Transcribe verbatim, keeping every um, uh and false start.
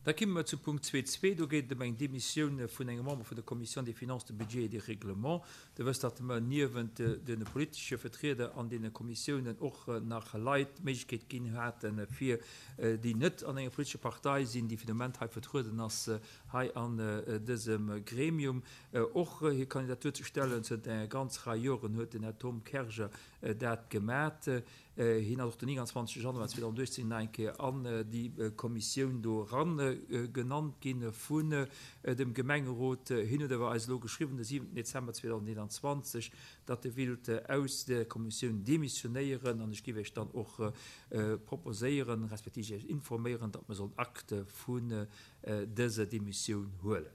Da komme mer zum Punkt zwee zwee. Do geet et ëm eng Demissioun vun engem Member vun der Commission des Finances, du Budget et des Règlements. Der wësst, datt mer niewent de politesche Vertrieder an deene Kommissiounen och nach Leit d'Méiglechkeet ginn haten, fir déi net an enger politescher Partei sinn, déi fir de Moment hei vertrueden ass hei an dësem Gremium, och hir Kandidatur ze stellen. Zënter enger ganz Rei Joren huet den Här Tom Kerger dat gemat. Hien ass och den nénganzwanzeg Januar zweedausenduechtzéng nach eng Kéier an déi Kommissioun do eran genannt gi vun dem Gemengerot. Hien huet awer eis elo geschriwwen, de siwenten Dezember zweedauseneenanzwanzeg, datt e willt aus där Kommissioun demissionéieren. An ech géif Iech dann och proposéieren, respektiv Iech informéieren, datt mer sollen Acte vun dëser Demissioun huelen.